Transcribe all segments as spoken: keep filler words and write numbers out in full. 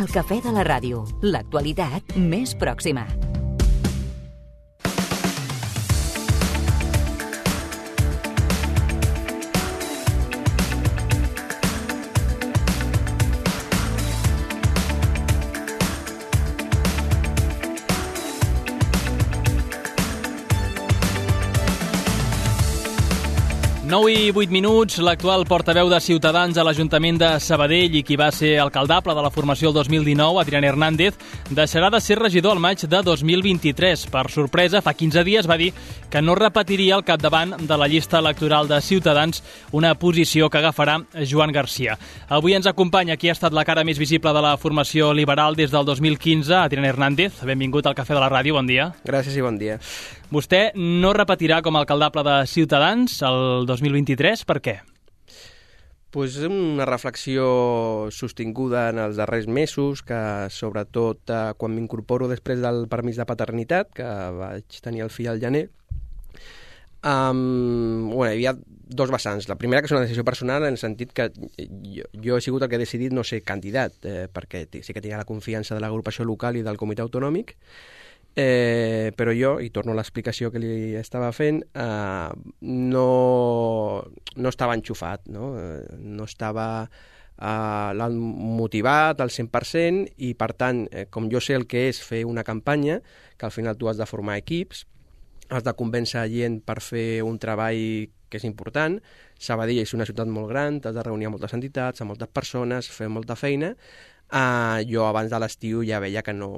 El Cafè de la Ràdio, l'actualitat més pròxima. nou i vuit minuts, l'actual portaveu de Ciutadans a l'Ajuntament de Sabadell i qui va ser alcaldable de la formació el dos mil dinou, Adrián Hernández, deixarà de ser regidor al maig de dos mil vint-i-tres. Per sorpresa, fa quinze dies va dir que no repetiria al capdavant de la llista electoral de Ciutadans, una posició que agafarà Joan Garcia. Avui ens acompanya qui ha estat la cara més visible de la formació liberal des del dos mil quinze, Adrián Hernández. Benvingut al Cafè de la Ràdio, bon dia. Gràcies i bon dia. Vostè no repetirà com a alcaldable de Ciutadans el dos mil vint-i-tres, per què? Pues una reflexió sostinguda en els darrers mesos, que sobretot eh, quan m'incorporo després del permís de paternitat, que vaig tenir el fill al gener, um, bueno, hi havia dos vessants. La primera, que és una decisió personal, en el sentit que jo, jo he sigut el que he decidit no ser candidat, eh, perquè sí que tenia la confiança de l'agrupació local i del comitè autonòmic, Eh, però jo, i torno a l'explicació que li estava fent, eh, no, no estava enxufat, no, eh, no estava eh, motivat al cent per cent i, per tant, eh, com jo sé el que és fer una campanya, que al final tu has de formar equips, has de convèncer gent per fer un treball que és important. Sabadell és una ciutat molt gran, t'has de reunir amb moltes entitats, amb moltes persones, fer molta feina. Uh, jo abans de l'estiu ja veia que no,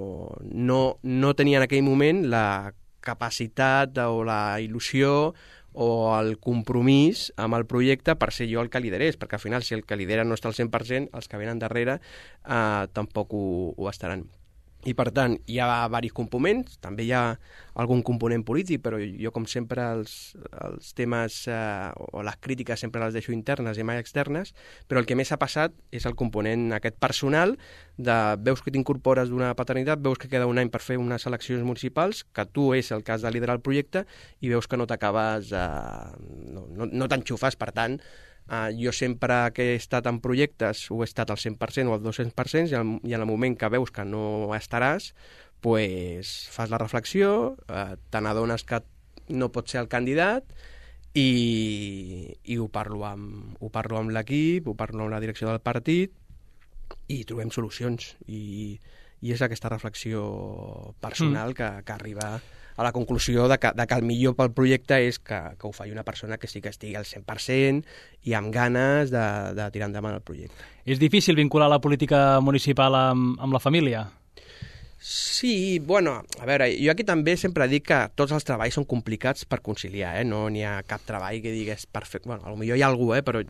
no, no tenia en aquell moment la capacitat o la il·lusió o el compromís amb el projecte per ser jo el que liderés, perquè al final si el que lidera no està al cent per cent, els que venen darrere uh, tampoc ho, ho estaran. I, per tant, hi ha diversos components, també hi ha algun component polític, però jo, com sempre, els, els temes eh, o les crítiques sempre les deixo internes i mai externes, però el que més ha passat és el component aquest personal de veus que t'incorpores d'una paternitat, veus que queda un any per fer unes eleccions municipals, que tu és el que has de liderar el projecte i veus que no t'acabes, eh, no, no, no t'enxufes, per tant, Uh, jo sempre que he estat en projectes ho he estat al cent per cent o al dos-cents per cent i, al, i en el moment que veus que no estaràs, pues, fas la reflexió, uh, te n'adones que no pots ser el candidat i, i ho parlo amb, ho parlo amb l'equip, ho parlo amb la direcció del partit i trobem solucions. I, i és aquesta reflexió personal mm. que, que arriba a la conclusió de que, de que el millor pel projecte és que, que ho faci una persona que sí que estigui al cent per cent i amb ganes de, de tirar endavant el projecte. És difícil vincular la política municipal amb, amb la família? Sí, bueno, a veure, jo aquí també sempre dic que tots els treballs són complicats per conciliar, eh? No n'hi ha cap treball que digués perfecte. Bueno, potser hi ha algú, eh? Però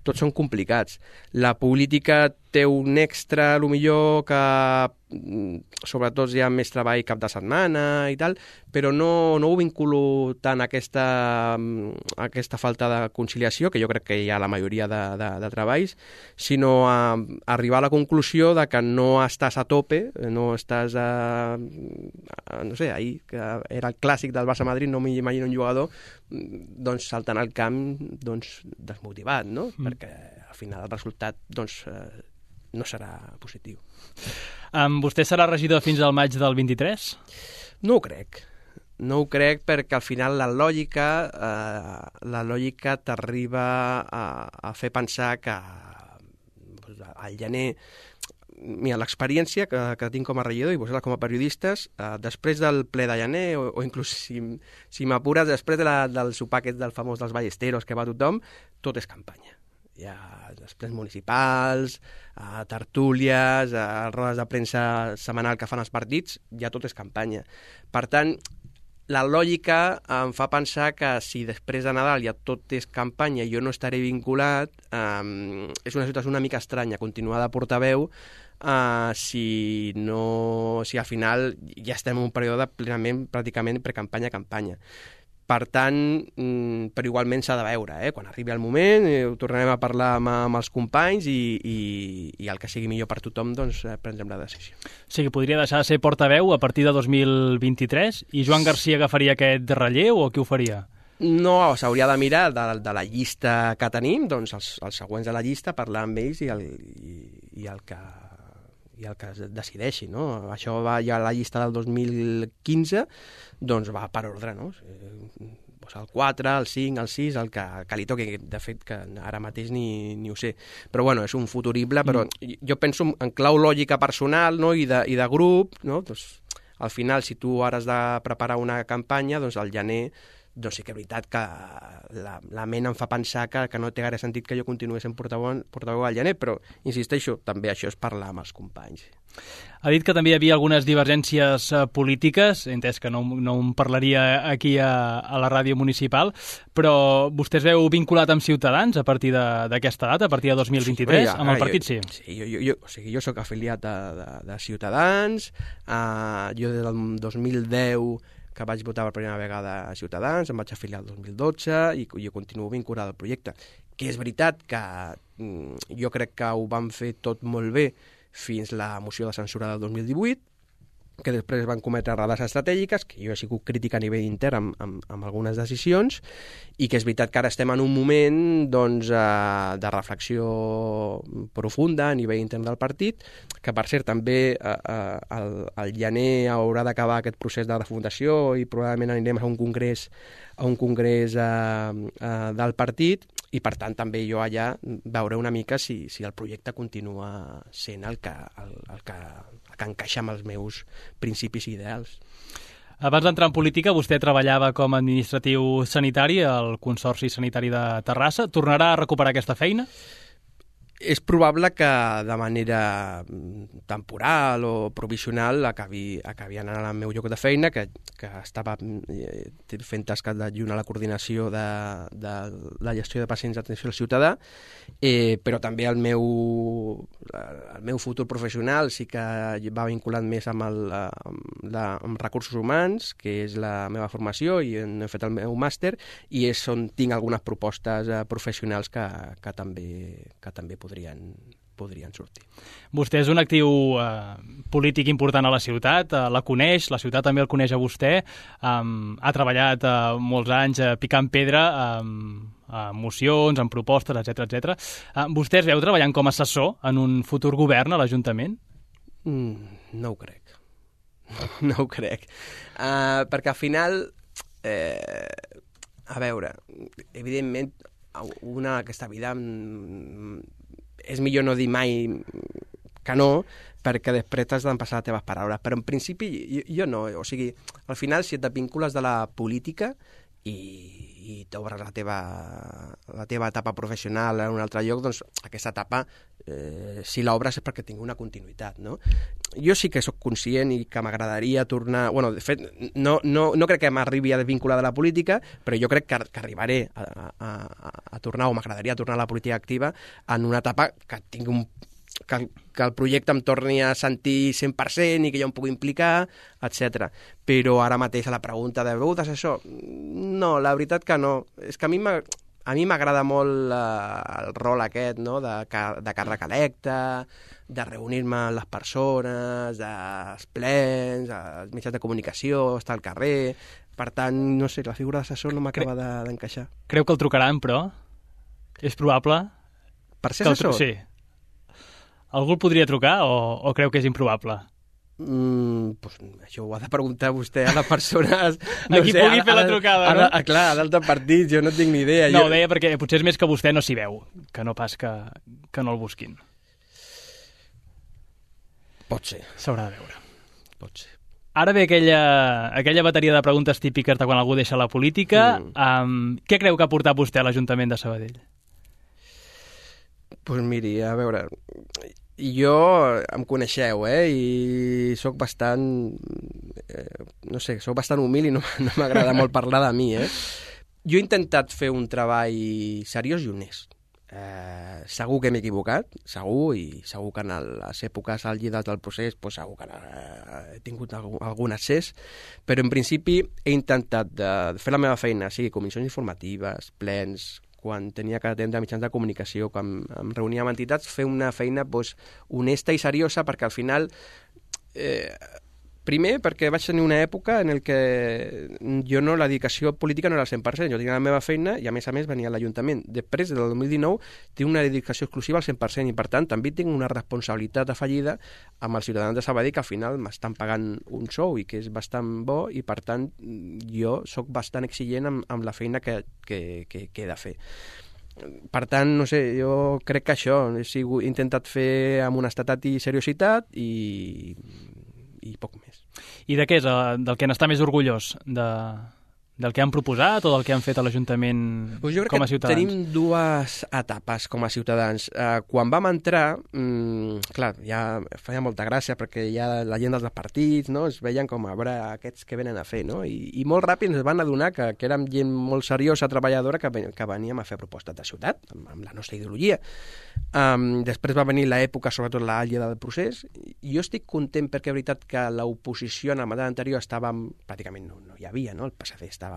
tots són complicats. La política té un extra, potser que sobretot hi ha més treball cap de setmana i tal, però no, no ho vinculo tant a aquesta, a aquesta falta de conciliació, que jo crec que hi ha la majoria de, de, de treballs, sinó a, a arribar a la conclusió de que no estàs a tope, no estàs a, a no sé, ahir, que era el clàssic del Barça-Madrid, no m'imagino un jugador doncs saltant al camp doncs, desmotivat, no? Mm. Perquè al final el resultat doncs, eh, no serà positiu. Um, vostè serà regidor fins al maig del vint-i-tres? No ho crec. No ho crec perquè al final la lògica, eh, la lògica t'arriba a, a fer pensar que doncs, al gener... Mira, l'experiència que, que tinc com a regidor i vosaltres com a periodistes, eh, després del ple de gener, o, o inclús si, si m'apures, després de la, del sopar aquest del famós dels ballesteros que va tothom, tot és campanya. Hi ha després municipals, eh, tertúlies, eh, rodes de premsa setmanal que fan els partits, ja tot és campanya. Per tant, la lògica em fa pensar que si després de Nadal ja tot és campanya i jo no estaré vinculat, eh, és una situació una mica estranya, continuar de portaveu, Uh, si no, si al final ja estem en un període plenament, pràcticament precampanya-campanya. Per tant, mm, però igualment s'ha de veure, eh? Quan arribi el moment, eh, ho tornarem a parlar amb, amb els companys i, i, i el que sigui millor per tothom, doncs eh, prendrem la decisió. Sí, que podria deixar de ser portaveu a partir de dos mil vint-i-tres i Joan Garcia agafaria aquest relleu o qui ho faria? No, s'hauria de mirar de, de la llista que tenim, doncs els, els següents de la llista, parlar amb ells i el, i, i el que i el que es decideixi, no? Això va ja a la llista del dos mil quinze, doncs va per ordre, no? Pues el quatre, el cinc, el sis, el que, que li toqui. De fet, que ara mateix ni, ni ho sé. Però bueno, és un futurible, però mm. jo penso en clau lògica personal, no? I, de, i de grup, no? Doncs, al final, si tu ara has de preparar una campanya, doncs al gener doncs sí que és veritat que la, la ment em fa pensar que, que no té gaire sentit que jo continuï sent portaveu, portaveu al gener, però, insisteixo, també això és parlar amb els companys. Ha dit que també hi havia algunes divergències uh, polítiques, he entès que no, no en parlaria aquí a, a la ràdio municipal, però vostè es veu vinculat amb Ciutadans a partir d'aquesta data, a partir de dos mil vint-i-tres, sí, amb el partit, jo, sí? Sí, jo, jo, jo, o sigui, jo soc afiliat de, de, de Ciutadans, uh, jo des del dos mil deu que vaig votar per primera vegada a Ciutadans, em vaig afiliar el dos mil dotze i jo continuo vinculat al projecte. Que és veritat que mm, jo crec que ho van fer tot molt bé fins la moció de censura del dos mil divuit, que després van cometre errades estratègiques, que jo he sigut crític a nivell intern amb, amb, amb algunes decisions, i que és veritat que ara estem en un moment doncs, eh, de reflexió profunda a nivell intern del partit, que per cert també eh, eh, el, el gener haurà d'acabar aquest procés de refundació i probablement anirem a un congrés a un congrés eh, eh, del partit, i per tant també jo allà veuré una mica si, si el projecte continua sent el que, el, el que, el que encaixa amb els meus principis i ideals. Abans d'entrar en política, vostè treballava com a administratiu sanitari al Consorci Sanitari de Terrassa. Tornarà a recuperar aquesta feina? És probable que de manera temporal o provisional acabi, acabi anant al meu lloc de feina, que, que estava fent tasques d'adjunt a la coordinació de, de la gestió de pacients d'atenció al ciutadà, eh, però també el meu, el meu futur professional sí que va vinculat més amb, el, amb, la, amb recursos humans, que és la meva formació, i he fet el meu màster, i és on tinc algunes propostes eh, professionals que, que també, que també podrien, podrien sortir. Vostè és un actiu eh, polític important a la ciutat, eh, la coneix, la ciutat també el coneix a vostè, eh, ha treballat eh, molts anys eh, picant pedra eh, a mocions, en propostes, etcètera, etcètera. Eh, vostè es veu treballant com a assessor en un futur govern a l'Ajuntament? Mm, no ho crec. No ho crec. Uh, perquè al final, eh, a veure, evidentment, una aquesta vida és millor no dir mai que no, perquè després t'has d'empassar les teves paraules. Però en principi jo, jo no, o sigui, al final si et vincules de la política i, i t'obres la teva, la teva etapa professional en un altre lloc, doncs aquesta etapa, eh, si l'obres és perquè tingui una continuïtat, no? Jo sí que sóc conscient i que m'agradaria tornar... Bueno, de fet, no, no, no crec que m'arribi a desvincular de la política, però jo crec que, que arribaré a, a, a tornar, o m'agradaria tornar a la política activa en una etapa que tingui un que, que el projecte em torni a sentir cent per cent i que jo em pugui implicar, etcètera. Però ara mateix a la pregunta de veu d'assessor, no, la veritat que no. És que a mi m'ha... A mi m'agrada molt eh, el rol aquest, no?, de, de càrrec electe, de reunir-me amb les persones, dels plens, els mitjans de comunicació, estar al carrer... Per tant, no sé, la figura d'assessor no m'acaba Cre... d'encaixar. Creu que el trucaran, però? És probable? Per ser assessor? Tru... Sí. Algú el podria trucar o, o creu que és improbable? Mm, pues, això ho ha de preguntar vostè a les persones... No a qui sé, pugui a, fer la trucada, a, no? A, a, clar, a d'altres partits, jo no tinc ni idea. No, jo... ho deia perquè potser és més que vostè no s'hi veu, que no pas que, que no el busquin. Pot ser. S'haurà de veure. Pot ser. Ara ve aquella, aquella bateria de preguntes típiques de quan algú deixa la política. Mm. Um, què creu que ha portat vostè a l'Ajuntament de Sabadell? Doncs pues miri, a veure... Jo, em coneixeu, eh, i sóc bastant, eh, no sé, sóc bastant humil i no, no m'agrada molt parlar de mi, eh. Jo he intentat fer un treball seriós i honest. Eh, segur que m'he equivocat, segur, i segur que en les èpoques àlgides del procés pues, segur que he tingut algun, algun accés, però en principi he intentat de fer la meva feina, sigui comissions informatives, plens, quan tenia que atendre mitjans de comunicació, quan em reunia amb entitats, fer una feina doncs, honesta i seriosa, perquè al final eh, Primer, perquè vaig tenir una època en el que jo no, la dedicació política no era al cent per cent. Jo tenia la meva feina i, a més a més, venia a l'Ajuntament. Després, del dos mil dinou, tinc una dedicació exclusiva al cent per cent i, per tant, també tinc una responsabilitat afegida amb els ciutadans de Sabadell, que al final m'estan pagant un sou i que és bastant bo, i, per tant, jo sóc bastant exigent amb, amb la feina que, que, que, que he de fer. Per tant, no sé, jo crec que això, he, sigut, he intentat fer amb honestedat i seriositat i... i poc més. I de què és? Del que n'està més orgullós? De, del que han proposat o del que han fet a l'Ajuntament pues jo crec com a ciutadans? Tenim dues etapes com a ciutadans. Uh, quan vam entrar, um, clar, ja feia molta gràcia perquè ja la gent dels partits, no, es veien com a veure aquests que venen a fer, no? I, i molt ràpid ens van adonar que, que érem gent molt seriosa, treballadora, que, que veníem a fer propostes de ciutat, amb, amb la nostra ideologia. Um, després va venir l'època, sobretot l'àlgida del procés, i jo estic content perquè és veritat que l'oposició en el mandat anterior estava, pràcticament no, no hi havia, no? El P S C estava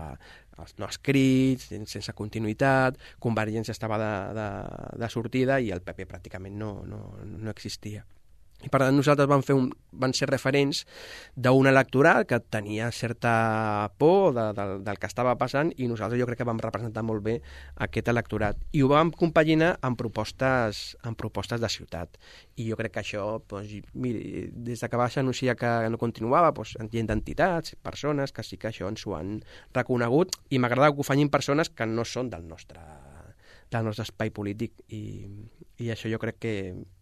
no escrits, sense continuïtat, Convergència estava de, de, de sortida i el P P pràcticament no, no, no existia. I per tant nosaltres vam, fer un, van ser referents d'un electorat que tenia certa por de, de, del que estava passant, i nosaltres jo crec que vam representar molt bé aquest electorat. I ho vam compaginar amb propostes, amb propostes de ciutat. I jo crec que això, doncs, miri, des que va anunciar que no continuava, doncs, gent d'entitats, persones que sí que això ens ho han reconegut, i m'agrada que ho facin persones que no són del nostre, del nostre espai polític, i, i això jo crec que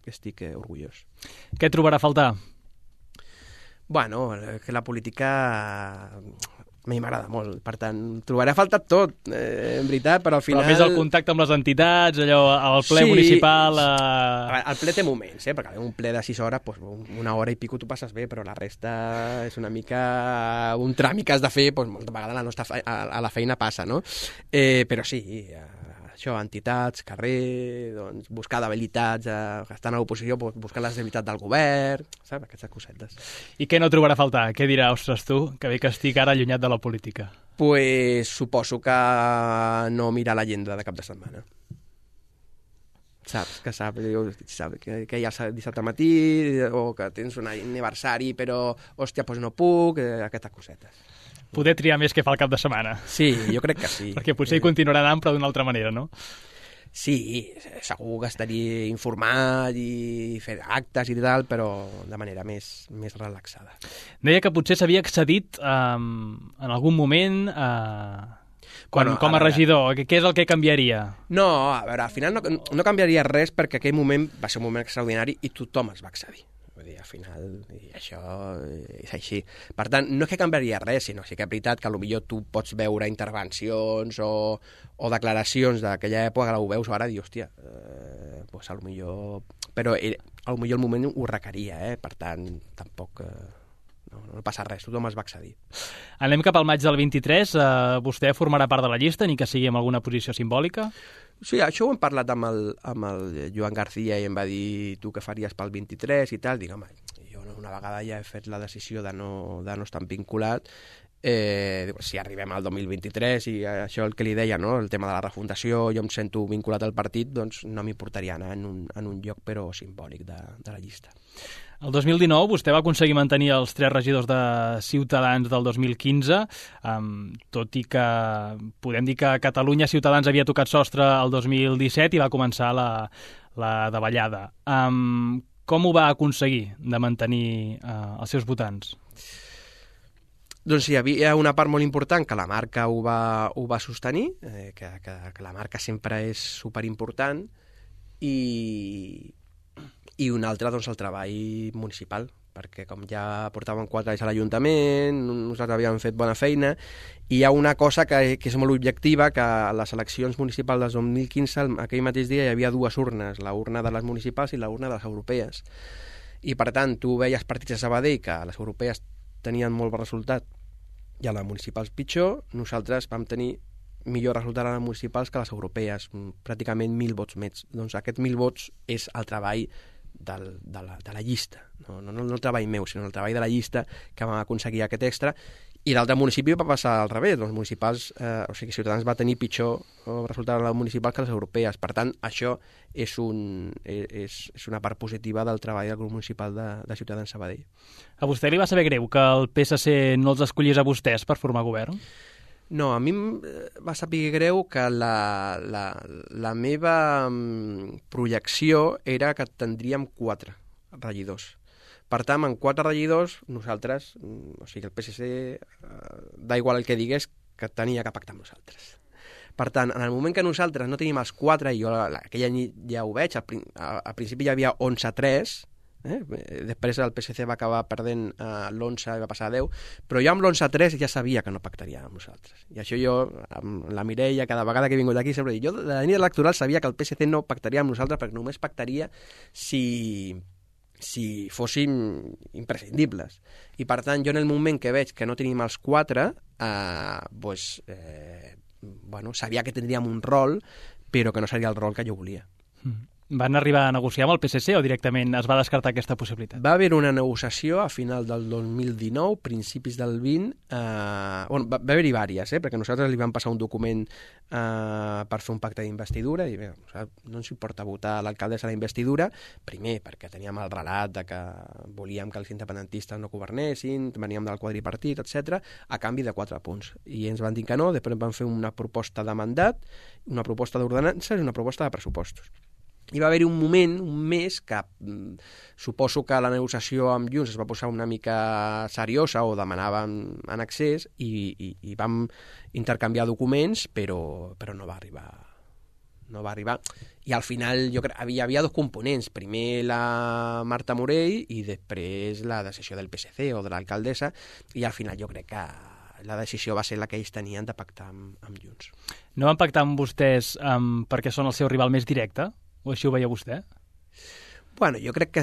estic orgullós. Què trobarà a faltar? Bueno, que la política a mi m'agrada molt, per tant, trobaré a faltar tot, eh, en veritat, però al final... Però més el contacte amb les entitats, allò, el ple sí, municipal... Eh... El ple té moments, eh, perquè un ple de sis hores, doncs, una hora i pico tu passes bé, però la resta és una mica un tràmit que has de fer, doncs, molta vegada a la, nostra fe... a la feina passa, no? Eh, però sí, eh, això, entitats, carrer, doncs, buscar debilitats, eh, estar a l'oposició, doncs, buscar les debilitats del govern, saps? Aquestes cosetes. I què no trobarà a faltar? Què dirà, ostres, tu, que bé que estic ara allunyat de la política? Pues suposo que no mirar l'agenda de cap de setmana. Saps? Que sap, sap que, que hi ha dissabte al matí, o que tens un aniversari, però, hòstia, doncs no puc, eh, aquestes cosetes. Poder triar més que fa el cap de setmana. Sí, jo crec que sí. Perquè potser hi continuarà anant, però d'una altra manera, no? Sí, segur que estaria informat i fer actes i tal, però de manera més, més relaxada. Deia que potser s'havia accedit um, en algun moment uh, quan, bueno, com a, a regidor. Què és el que canviaria? No, a veure, al final no, no canviaria res, perquè aquell moment va ser un moment extraordinari i tothom es va accedir. Vull dir, al final, i això és així. Per tant, no és que canviaria res, sinó sí que és veritat que potser tu pots veure intervencions o, o declaracions d'aquella època que ho veus ara i dius, hòstia, eh, pues a lo millor... Però eh, a lo millor el moment ho requeria, eh? Per tant, tampoc... Eh, no, no passa res, tothom es va accedir. Anem cap al maig del vint-i-tres. Eh, vostè formarà part de la llista, ni que sigui en alguna posició simbòlica? Sí, això ho hem parlat amb el, amb el Joan García i em va dir tu què faries pel vint-i-tres i tal. Dic, home, jo una vegada ja he fet la decisió de no, de no estar vinculat. Eh, si arribem al dos mil vint-i-tres i això el que li deia, no? El tema de la refundació, jo em sento vinculat al partit, doncs no m'importaria anar en un, en un lloc però simbòlic de, de la llista. El dos mil dinou vostè va aconseguir mantenir els tres regidors de Ciutadans del dos mil quinze, um, tot i que podem dir que Catalunya Ciutadans havia tocat sostre el dos mil disset i va començar la, la davallada. Um, com ho va aconseguir de mantenir uh, els seus votants? Doncs hi havia una part molt important que la marca ho va, ho va sostenir, eh, que, que, que la marca sempre és superimportant, i... i un altre, doncs, el treball municipal, perquè com ja portàvem quatre anys a l'Ajuntament, nosaltres havíem fet bona feina, i hi ha una cosa que, que és molt objectiva, que a les eleccions municipals del dos mil quinze, aquell mateix dia, hi havia dues urnes, la urna de les municipals i la urna de les europees. I, per tant, tu veies partits a Sabadell que a les europees tenien molt bon resultat i a les municipals pitjor. Nosaltres vam tenir millor resultat a les municipals que a les europees, pràcticament mil vots més. Doncs aquest mil vots és el treball del, de, la, de la llista, no, no, no el treball meu, sinó el treball de la llista que vam aconseguir aquest extra, I d'altres municipis va passar al revés. Els municipals, eh, o sigui, Ciutadans va tenir pitjor resultat en les municipals que les europees. Per tant, això és, un, és, és una part positiva del treball del grup municipal de, de Ciutadans Sabadell. A vostè li va saber greu que el P S C no els escollís a vostès per formar govern? No, a mi em va saber greu que la, la, la meva projecció era que tindríem quatre regidors. Per tant, amb quatre regidors, nosaltres, o sigui, el P S C, eh, da igual el que digués, que tenia que pactar amb nosaltres. Per tant, en el moment que nosaltres no tenim els quatre, i jo aquella nit ja ho veig, al, al principi hi havia onze a tres, eh? Després el P S C va acabar perdent eh, l'onze i va passar a deu, però jo amb l'onze a tres ja sabia que no pactaria amb nosaltres. I això jo, amb la Mireia, cada vegada que he vingut aquí, sempre dic, jo de la nit electoral sabia que el P S C no pactaria amb nosaltres perquè només pactaria si... si fóssim imprescindibles. I, per tant, jo en el moment que veig que no tenim els quatre, eh, pues, eh, bueno, sabia que tindríem un rol, però que no seria el rol que jo volia. Mm. Van arribar a negociar amb el P S C o directament es va descartar aquesta possibilitat? Va haver una negociació a final del dos mil dinou, principis del vint. Eh, bueno, va, va haver-hi vàries, eh, perquè nosaltres li vam passar un document eh, per fer un pacte d'investidura i bé, no ens importa votar l'alcaldessa a la investidura, primer perquè teníem el relat de que volíem que els independentistes no governessin, veníem del quadripartit, etcètera, a canvi de quatre punts. I ens van dir que no, després van fer una proposta de mandat, una proposta d'ordenances i una proposta de pressupostos. Hi va haver-hi un moment, un mes, que mm, suposo que la negociació amb Junts es va posar una mica seriosa o demanàvem en accés i, i, i vam intercanviar documents, però, però no va arribar. No va arribar. I al final jo crec, hi havia dos components. Primer la Marta Morell i després la decisió del P S C o de l'alcaldessa, i al final jo crec que la decisió va ser la que ells tenien de pactar amb, amb Junts. No van pactar amb vostès um, perquè són el seu rival més directe? O així ho veia vostè? Bueno, jo crec que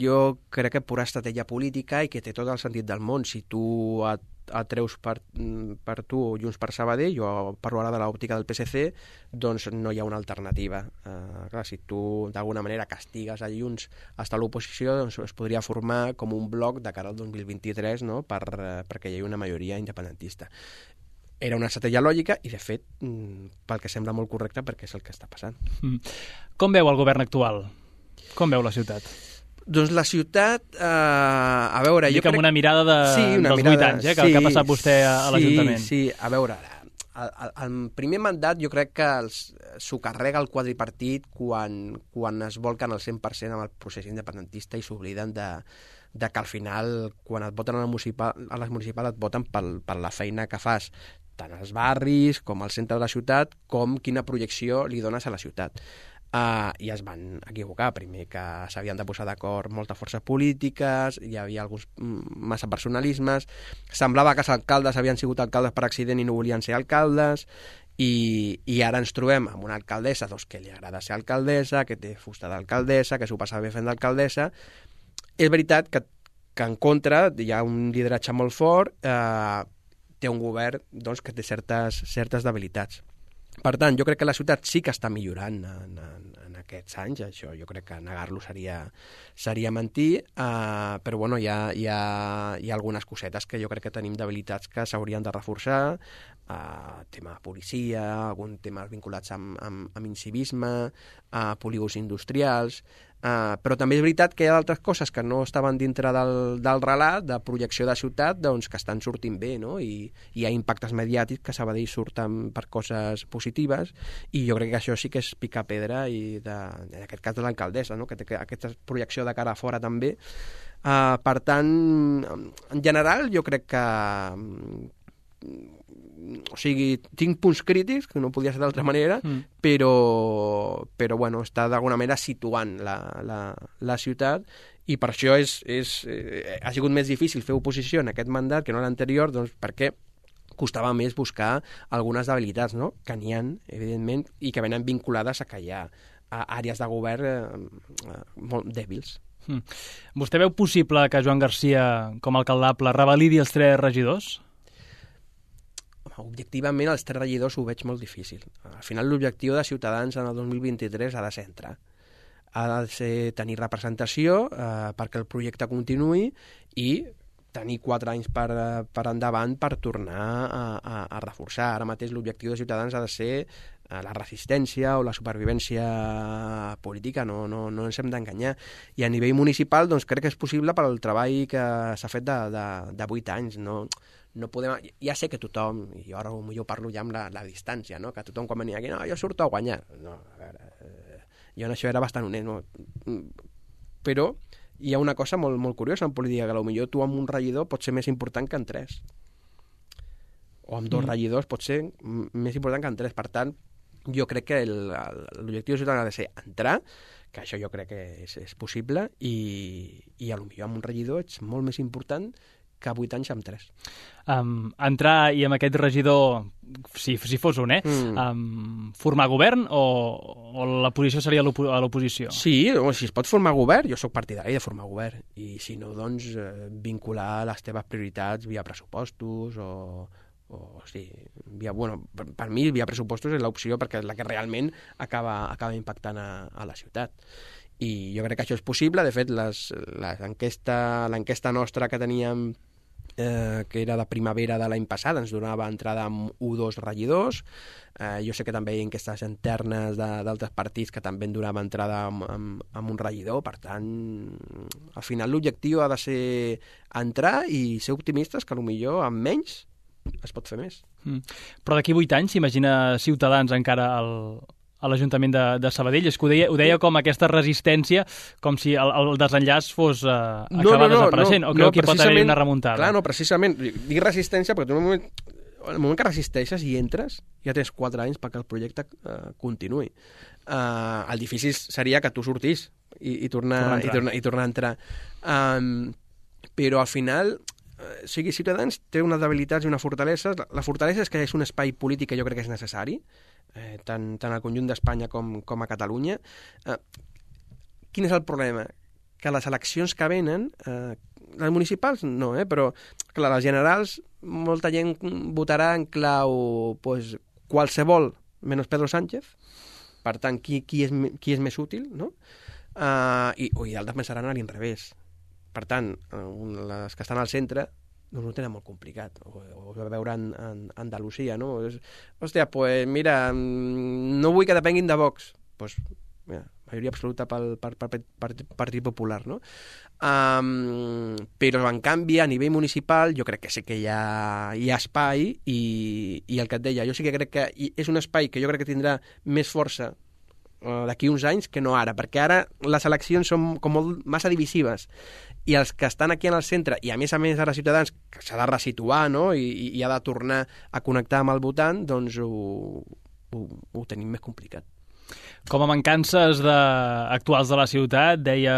jo crec que pura estratègia política i que té tot el sentit del món. Si tu et, et treus per, per tu o Junts per Sabadell, jo parlo ara de l'òptica del P S C, doncs no hi ha una alternativa. Uh, clar, si tu d'alguna manera castigues a Junts fins a l'oposició, doncs es podria formar com un bloc de cara al dos mil vint-i-tres, no? per, uh, perquè hi ha una majoria independentista. Era una estratègia lògica i, de fet, pel que sembla molt correcte, perquè és el que està passant. Mm. Com veu el govern actual? Com veu la ciutat? Doncs la ciutat, eh, a veure... Dic jo crec... amb una mirada de, sí, una dels mirada, vuit anys, eh, que, sí, que ha passat vostè a, a l'Ajuntament. Sí, sí, a veure, el, el primer mandat jo crec que s'ho carrega el quadripartit quan, quan es volquen al cent per cent amb el procés independentista i s'obliden de, de que al final, quan et voten a, municipal, a les municipals, et voten pel, per la feina que fas, tant als barris com al centre de la ciutat, com quina projecció li dones a la ciutat. Uh, I es van equivocar, primer que s'havien de posar d'acord moltes forces polítiques, hi havia alguns massa personalismes, semblava que els alcaldes havien sigut alcaldes per accident i no volien ser alcaldes, i, i ara ens trobem amb una alcaldessa doncs, que li agrada ser alcaldessa, que té fusta d'alcaldessa, que s'ho passa bé fent d'alcaldessa. És veritat que, que en contra hi ha un lideratge molt fort, eh, té un govern doncs, que té certes, certes debilitats. Per tant, jo crec que la ciutat sí que està millorant en, en, en aquests anys, això jo crec que negar-lo seria, seria mentir, eh, però bueno, hi ha, hi, ha, hi ha algunes cosetes que jo crec que tenim debilitats que s'haurien de reforçar, eh, tema de policia, algun tema vinculats amb, amb, amb incivisme, eh, polígons industrials, Uh, però també és veritat que hi ha altres coses que no estaven dintre del, del relat, de projecció de ciutat, doncs que estan sortint bé, no? I, i hi ha impactes mediàtics que Sabadell surten per coses positives, i jo crec que això sí que és picar pedra, i de, en aquest cas de l'alcaldessa, no? Que té aquesta projecció de cara a fora també. Uh, per tant, en general, jo crec que... o sigui, tinc punts crítics, que no podia ser d'altra manera, mm. però, però bueno, està d'alguna manera situant la, la, la ciutat, i per això és, és, eh, ha sigut més difícil fer oposició en aquest mandat que no l'anterior, doncs perquè costava més buscar algunes debilitats, no? Que n'hi ha, evidentment, i que venen vinculades a que hi ha a àrees de govern eh, molt dèbils. Mm. Vostè veu possible que Joan Garcia, com a alcaldable, revalidi els tres regidors? Objectivament, els tres regidors ho veig molt difícil. Al final, l'objectiu de Ciutadans en el dos mil vint-i-tres ha de ser entrar. Ha de ser tenir representació eh, perquè el projecte continuï, i tenir quatre anys per, per endavant per tornar a, a, a reforçar. Ara mateix l'objectiu de Ciutadans ha de ser la resistència o la supervivència política, no, no, no ens hem d'enganyar. I a nivell municipal doncs, crec que és possible pel treball que s'ha fet de, de, de vuit anys. No, no podem... Ja sé que tothom, i jo ara jo parlo ja amb la, la distància, no? Que tothom quan venia aquí, no, jo surto a guanyar. No, a veure, eh, jo en això era bastant honest, no? Però hi ha una cosa molt, molt curiosa en política, que potser tu amb un regidor pot ser més important que en tres. O amb dos mm. regidors pot ser més important que en tres. Per tant, jo crec que l'objectiu ciutadà ha de ser entrar, que això jo crec que és, és possible, i, i potser amb un regidor ets molt més important que vuit anys amb tres. Um, entrar i amb aquest regidor, si, si fos un, eh? Mm. Um, formar govern o, o la posició seria a l'oposició? Sí, o si es pot formar govern, jo sóc partidari de formar govern. I si no, doncs, eh, vincular les teves prioritats via pressupostos o... o sí, via, bueno, per, per mi via pressupostos és l'opció perquè és la que realment acaba, acaba impactant a, a la ciutat. I jo crec que això és possible. De fet, l'enquesta nostra que teníem, eh, que era de primavera de l'any passat, ens donava entrada amb un o dos regidors. Eh, jo sé que també hi ha enquestes internes d'altres partits que també en donava entrada amb, amb, amb un regidor. Per tant, al final l'objectiu ha de ser entrar i ser optimistes, que potser amb menys es pot fer més. Mm. Però d'aquí vuit anys s'imagina Ciutadans encara al, a l'Ajuntament de, de Sabadell? És que ho deia, ho deia com aquesta resistència, com si el, el desenllaç fos uh, acabar no, no, no, desapareixent, no, o creu no, que pot haver una remuntada? Clar, no, precisament. Dic resistència perquè tu en el moment, en el moment que resisteixes i entres, ja tens quatre anys perquè el projecte uh, continuï. Uh, el difícil seria que tu sortís i, i, tornar, i, tornar, i tornar a entrar. Um, però al final... O sigui, Ciutadans té unes debilitats i una fortalesa. La fortalesa és que és un espai polític que jo crec que és necessari, eh, tant, tant al conjunt d'Espanya com, com a Catalunya. Eh, quin és el problema? Que les eleccions que venen, eh, les municipals no, eh, però clar, les generals, molta gent votarà en clau pues, qualsevol menys Pedro Sánchez, per tant, qui, qui, és, qui és més útil, no? Uh, i, i altres pensaran a l'inrevés. Per tant, les que estan al centre doncs ho tenen molt complicat. O, o veure en, en Andalusia, no? És, hòstia, pues mira, no vull que depenguin de Vox. Pues, mira, majoria absoluta pel, per, per, per, per Partit Popular, no? Um, però, en canvi, a nivell municipal, jo crec que sí que hi ha, hi ha espai i, i el que et deia, jo sí que crec que és un espai que jo crec que tindrà més força d'aquí uns anys que no ara, perquè ara les eleccions són com molt massa divisives i els que estan aquí en el centre, i a més a més ara Ciutadans, que s'ha de resituar, no? I, i ha de tornar a connectar amb el votant, doncs ho, ho, ho tenim més complicat. Com a mancances de, actuals de la ciutat, deia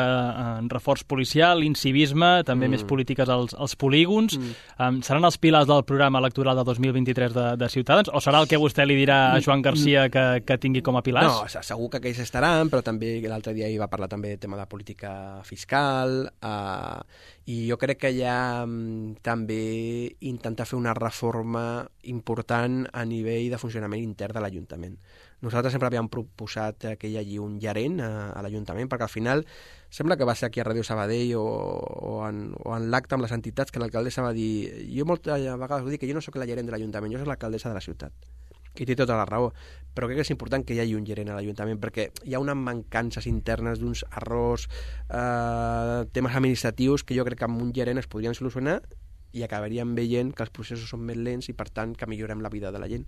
en reforç policial, incivisme, també mm. més polítiques als, als polígons. Mm. Um, seran els pilars del programa electoral de dos mil vint-i-tres de, de Ciutadans? O serà el que vostè li dirà a Joan Garcia que, que tingui com a pilars? No, segur que aquells estaran, però també l'altre dia hi va parlar també del tema de política fiscal, uh, i jo crec que hi ha um, també intentar fer una reforma important a nivell de funcionament intern de l'Ajuntament. Nosaltres sempre havíem proposat que hi hagi un gerent a, a l'Ajuntament, perquè al final sembla que va ser aquí a Ràdio Sabadell o, o en, o en l'acte amb les entitats que l'alcaldessa va dir, jo moltes vegades ho dic, que jo no sóc la gerent de l'Ajuntament, jo soc l'alcaldessa de la ciutat. I té tota la raó, però crec que és important que hi hagi un gerent a l'Ajuntament, perquè hi ha unes mancances internes d'uns errors, eh, temes administratius que jo crec que amb un gerent es podrien solucionar i acabaríem veient que els processos són més lents i per tant que millorem la vida de la gent.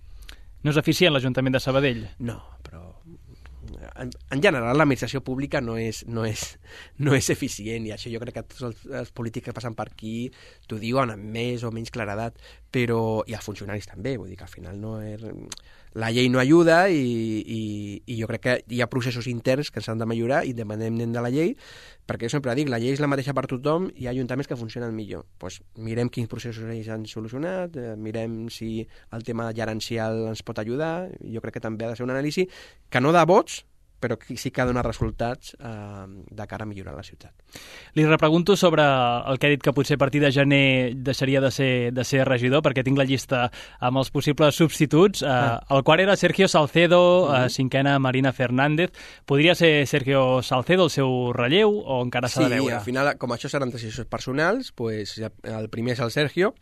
No és eficient l'Ajuntament de Sabadell? No, però en, en general l'administració pública no és, no, és, no és eficient, i això jo crec que tots els, els polítics que passen per aquí t'ho diuen amb més o menys claredat, però, i els funcionaris també, vull dir que al final no és... La llei no ajuda i, i, i jo crec que hi ha processos interns que s'han de millorar independentment de la llei, perquè jo sempre dic, la llei és la mateixa per tothom i hi ha ajuntaments que funcionen millor. Pues mirem quins processos ells han solucionat, eh, mirem si el tema gerencial ens pot ajudar, jo crec que també ha de ser un anàlisi que no de vots, però sí que ha donat resultats eh, de cara a millorar la ciutat. Li repregunto sobre el que ha dit que potser a partir de gener deixaria de ser, de ser regidor, perquè tinc la llista amb els possibles substituts. Eh, ah. El quart era Sergio Salcedo, mm-hmm. eh, cinquena Marina Fernández. Podria ser Sergio Salcedo el seu relleu o encara s'ha sí, de veure? Sí, al final, com això seran decisions personals, pues, el primer és el Sergio,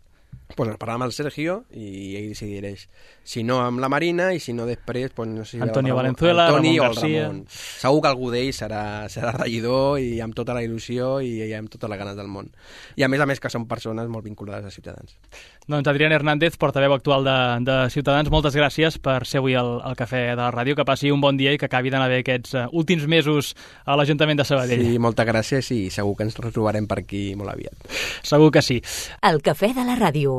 pues ens parlem amb el Sergio i ell decidireix. Si no amb la Marina i si no després, pues, no sé si Antonio Ramon, Valenzuela, Antoni Ramon o el García. Ramon. Segur que algú d'ells serà, serà regidor i amb tota la il·lusió i, i amb totes les ganes del món. I a més a més que són persones molt vinculades a Ciutadans. Doncs Adrián Hernández, portaveu actual de, de Ciutadans, moltes gràcies per ser avui al, al Cafè de la Ràdio, que passi un bon dia i que acabi d'anar bé aquests uh, últims mesos a l'Ajuntament de Sabadell. Sí, moltes gràcies i segur que ens retrobarem per aquí molt aviat. Segur que sí. El Cafè de la Ràdio.